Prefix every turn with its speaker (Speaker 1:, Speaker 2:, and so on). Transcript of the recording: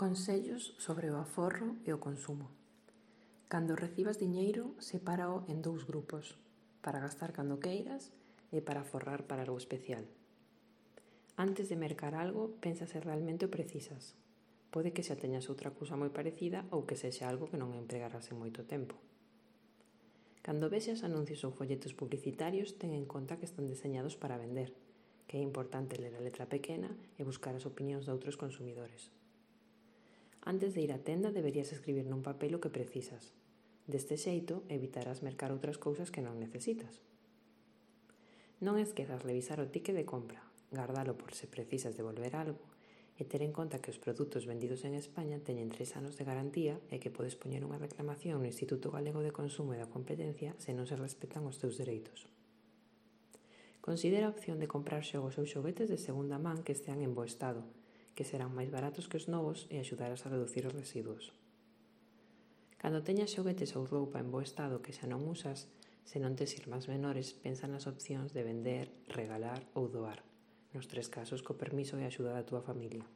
Speaker 1: Consellos sobre o aforro e o consumo. Cando recibas diñeiro, sepárao en dous grupos, para gastar cando queiras e para aforrar para algo especial. Antes de mercar algo, pensa se realmente o precisas. Pode que xa teñas outra cousa moi parecida ou que sexa algo que non empregarás en moito tempo. Cando vexas anuncios ou folletos publicitarios, ten en conta que están deseñados para vender, que é importante ler a letra pequena e buscar as opinións de outros consumidores. Antes de ir á tenda deberías escribir nun papel o que precisas. Deste xeito, evitarás mercar outras cousas que non necesitas. Non esquezas revisar o ticket de compra, gardalo por se precisas devolver algo e ter en conta que os produtos vendidos en España teñen 3 anos de garantía e que podes poñer unha reclamación no Instituto Galego de Consumo e da Competencia se non se respetan os teus dereitos. Considera a opción de comprar xogos ou xoguetes de segunda man que estean en bo estado, que serán máis baratos que os novos e axudarás a reducir os residuos. Cando teñas xoguetes ou roupa en bo estado que xa non usas, se non tes irmáns menores, pensa nas opcións de vender, regalar ou doar, nos 3 casos co permiso e axuda da túa familia.